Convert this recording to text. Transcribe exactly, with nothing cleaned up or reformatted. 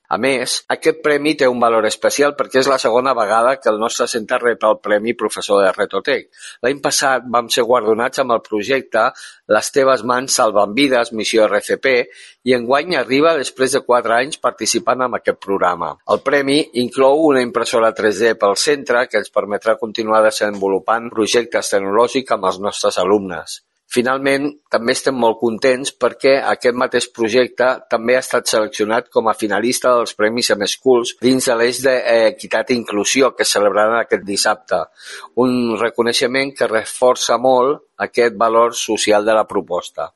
A més, aquest premi té un valor especial perquè és la segona vegada que el nostre centre rep el Premi Professor de Retotec. L'any passat vam ser guardonats amb el projecte Les teves mans salven vides, missió R C P, i enguany arriba després de quatre anys participant en aquest programa. El premi inclou una impressora tres D pel centre que ens permetrà continuar desenvolupant projectes tecnològics amb els nostres alumnes. Finalment, també estem molt contents perquè aquest mateix projecte també ha estat seleccionat com a finalista dels Premis M-Schools dins de l'eix d'Equitat i Inclusió que es celebraran aquest dissabte. Un reconeixement que reforça molt aquest valor social de la proposta.